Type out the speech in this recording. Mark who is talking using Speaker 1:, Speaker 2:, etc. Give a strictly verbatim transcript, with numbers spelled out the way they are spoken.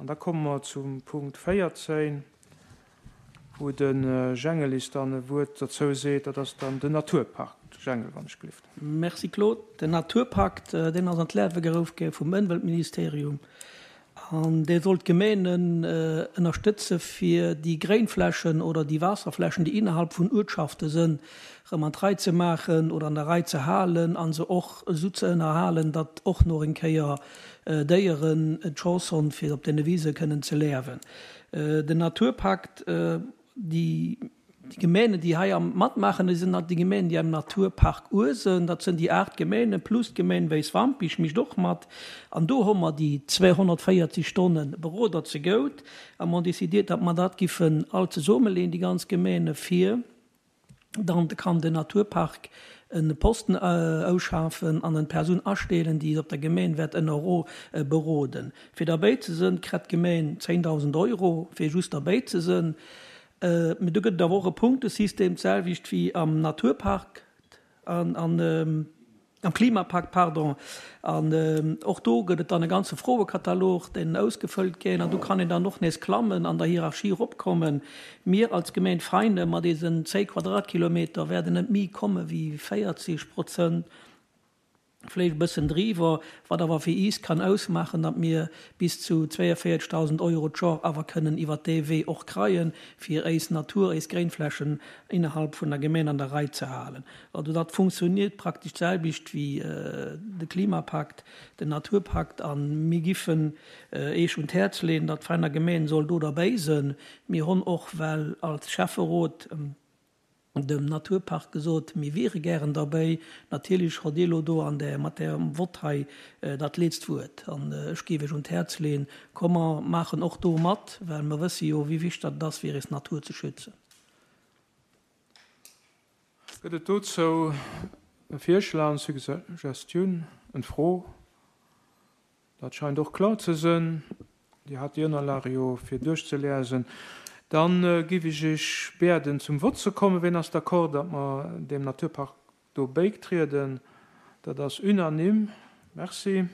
Speaker 1: An da komme mer zum Punkt véierzéng, wou de Jängelis dann e Wuert derzou seet. Dat ass dann den Naturpakt. Jengel, wann ech gelift.
Speaker 2: Merci Claude. Den Naturpakt, deen ass an d'Liewe geruff gi vum Ëmweltministerium an dee soll d'Gemeenen ënnerstëtze fir déi Gréinflächen oder déi Waasserflächen, déi innerhalb vun Uertschafte sënn, erëm an d'Rei ze maachen oder an der Rei ze halen a se och esou ze ënnerhalen, datt och no eng Kéier Déieren d'Chance honn fir op deene Wise kënnen ze liewen. Den Naturpakt, déi Gemeenen, déi hei am matmaachen, dat sinn déi Gemeenen, déi am Naturpark Uesen, dat sinn déi aacht Gemeenen plus d'Gemeen Wäiswampich mécht och mat. An do hu mer déi zweehonnertvéierzeg Stonne Beroder zegout a mer hunn décidiert, datt mer dat giffen all zesummeleeën, déi ganz Gemeene, fir dann kann den Naturpark e Posten ausschafen an en Persoun astelen, déi op der Gemeen wäert ënner beroden. Fir derbäi ze sënn, kritt d'Gemeen zéngdausend Euro, fir just derbäi ze sënn. Mee do gëtt et awer och e Punktesystem, d'selwecht wéi am Naturpark an am Klimapakt, pardon. An och do gëtt et dann e ganze Froekatalog, deen ausgefëllt gétt, an do kann een dann och nees klammen, an der Hierarchie eropkommen. Mir als Gemeen Veinen mat eisen zéng Quadratkilometer wäerten net méi komme wéi véierzeg Prozent, vläicht e bëssen driwwer, wat awer fir iis kann ausmaachen, datt mir bis zu zwéienvéierzegdausend Euro d'Jor awer kënnen iwwert dee Wee och kreien, fir éis Natur, éis Gréinflächen innerhalb vun der Gemeen an der Rei ze halen. Also dat funktioniert praktesch d'selwecht wéi de Klimapakt, den Naturpakt. A mir giffen Eech un d'Häerz leeën, datt d'Veiner Gemeen soll do derbäi sënn. Mir honn och well als Schäfferot dem Naturpark gesot, mir wiere gären derbäi. Natierlech hott Dir elo do an där, mat Ärem Vott hei dat leetzt Wuert. An ech géif Iech un d'Häerz leeën, komm mer maachen och do mat, well mer wësse jo, wéi wichteg dat ass, fir eis Natur ze schützen.
Speaker 1: Gëtt et dozou e Virschlag, eng Suggestioun, eng Fro? Dat scheint och kloer ze sënn. Dir hat déi Ënnerlage jo fir duerchzeliesen. Dann giff ech Iech bieden zum Vott ze kommen. Ween ass d'accord, datt mer deem Naturpark do bäitrieden? Dat ass unanime. Merci.